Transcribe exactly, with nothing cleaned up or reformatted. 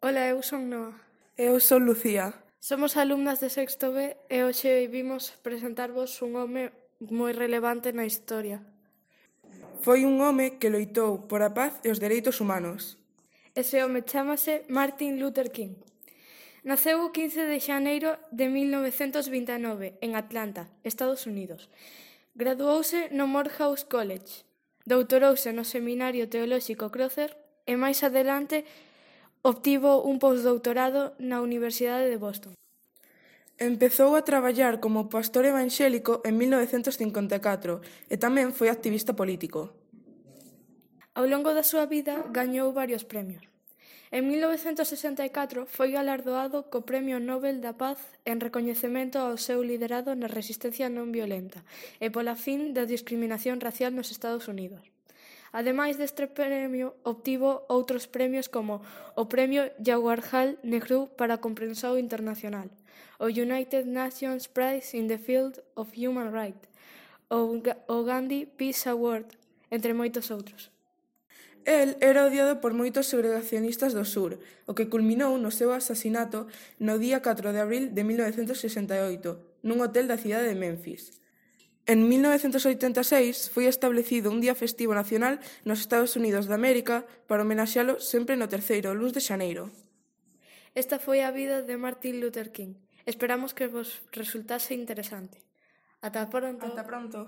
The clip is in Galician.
Ola, eu son Noa. Eu son Lucía. Somos alumnas de sexto B e hoxe vimos presentarvos un home moi relevante na historia. Foi un home que loitou por a paz e os dereitos humanos. Ese home chámase Martin Luther King. Naceu o quince de xaneiro de mil novecentos vinte e nove en Atlanta, Estados Unidos. Graduouse no Morehouse College. Doutorouse no Seminario Teolóxico Crowther e máis adelante obtivo un postdoutorado na Universidade de Boston. Empezou a traballar como pastor evanxélico en mil novecentos cincuenta e catro e tamén foi activista político. Ao longo da súa vida gañou varios premios. En mil novecentos sesenta e catro foi galardoado co Premio Nobel da Paz en recoñecemento ao seu liderado na resistencia non violenta e pola fin da discriminación racial nos Estados Unidos. Ademais deste premio, obtivo outros premios como o Premio Jawaharlal Nehru para a Comprensión Internacional, o United Nations Prize in the Field of Human Rights, o Gandhi Peace Award, entre moitos outros. El era odiado por moitos segregacionistas do sur, o que culminou no seu asasinato no día catro de abril de mil novecentos sesenta e oito, nun hotel da cidade de Memphis. En mil novecentos oitenta e seis foi establecido un día festivo nacional nos Estados Unidos de América para homenaxealo sempre no terceiro luns de xaneiro. Esta foi a vida de Martin Luther King. Esperamos que vos resultase interesante. Ata pronto. Ata pronto.